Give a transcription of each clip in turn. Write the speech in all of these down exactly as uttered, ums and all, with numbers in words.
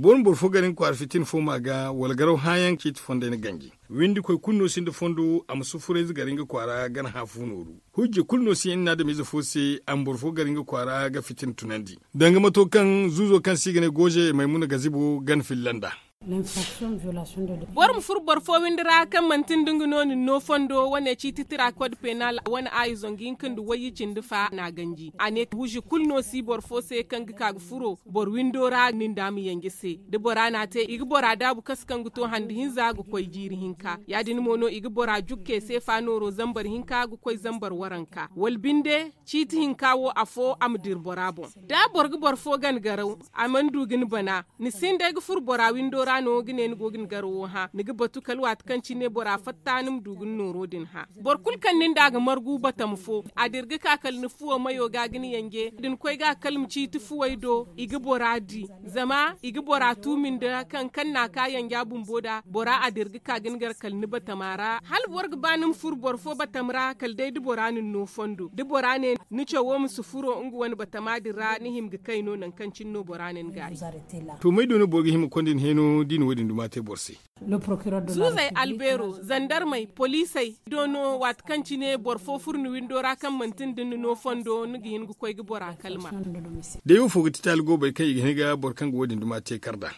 Boro ma boro fo gar nga kwaara fitina fo ma ga wala garaw hããyaŋ ciiti fonday na ganji. Windikoy kulu no sinda fondo a ma sufurayze gar nga kwaara gana hã fu nooru. Hujja kulu no si hinne adamize fo se a ma boro fo gar nga kwaara ga fitina tunandi. Danga mato kaŋ zuuzo kaŋ se i ga ne gooze maymuna gazibo gana filla nd'a. Boro ma furo boro fo windi ra kaŋ manti nda nga no nin no fondo wane ciiti tira kod penal wane aayi zangu hinka nda wayye cindi fa n'a ganji a ne huuzi kulu no si boro fo se kaŋ ga ka ga furo boro windo ra nin da a ma yanje se. Da bora n'a te i ga bora daabu kasa kaŋ ga to hande hinza ga koy jiiri hinka ya- din mo no i ga bora jukke seefa nooro zambar hinka ga koy zambar waranka wala binde ciiti hinka wo afo a ma dira bora boŋ. Da boro ga boro fo gana garaw a mana du ga ni bana, ni sinda ay ga furo bora windo ra no ga ne ni go ga ni garawo hã ni ga batu kala waati kaŋ cine bora fatta ni ma du ga ni nooro din hã. Boro kulu kaŋ nin da a ga margu batama fo a dira ga ka kala ni fuwo mayo ga ga ni yanje da ni koy ga kala ma ciiti fuwey do i ga bora di. Zama i ga bora tuumi nda kaŋ kaŋ n'a ka yanja bumbo da bora a dira ga ka ga ni gar kala ni batama ra hala boro ga ba ni ma furo boro fo batama ra kala day da bora na ni no fondo da bora ne ni cawo ma si furo nga wane batama din ra ni hima ga kay no nangu kaŋ cine no bora na ni gaayi. To may do no boro ga hima ga konda ni heeno da i na wo- din duma te boro se? Zuuzey albeero zandarmey poliisey do no waati kaŋ cine boro fo furo ni windo ra kaŋ manti nda ni no fondo ni ga hin ga koy ga bora kalma. Day wo fo ga ti taali goobey kaŋ i ga hin ga boro kaŋ ga wo- din duma te kar nd'a.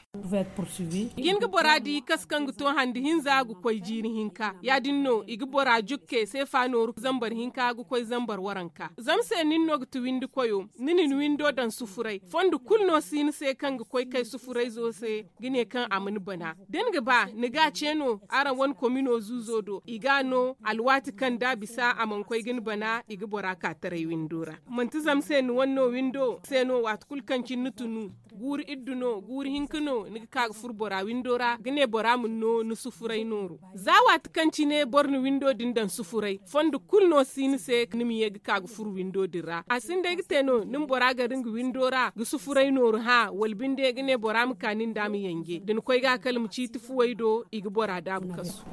Ga hin ga bora di kasa kaŋ ga to hande hinza ga koy jiiri hinka ya- din no i ga bora jukke seefa nooru zambar hinka ga koy zambar waranka zama se nin no ga ti windi koyo ni na ni windo daŋ sufuray fondo kulu no si ni se kaŋ ga koy kay sufurayzo se. Ga ne kaŋ a ma ni bana da ni ga ba ni ga a ce no araŋ wane komino zuuzo do i ga a no alwaati kaŋ da a bisa a mana koy ga ni bana i ga bora ka taray windo ra. Manti zama se ni wane no windo se no waati kulu kaŋ cine ni tunu guuri iddu no guuri hinka no ni ga ka ga furo bora windo ra ga ne bora ma ni no ni sufuray nooru. Za waati kaŋ cine boro na windo din daŋ sufuray fondo kulu no si ni se ni ma ye ga ka ga furo windo din ra a sinda ay ga te no ni ma bora gar nga windo ra ga sufuray nooru hã wala binde ga ne bora ma ka nin da a ma yanje da ni koy ga kala ma ciiti fuwey do i ga bora daabu kasu.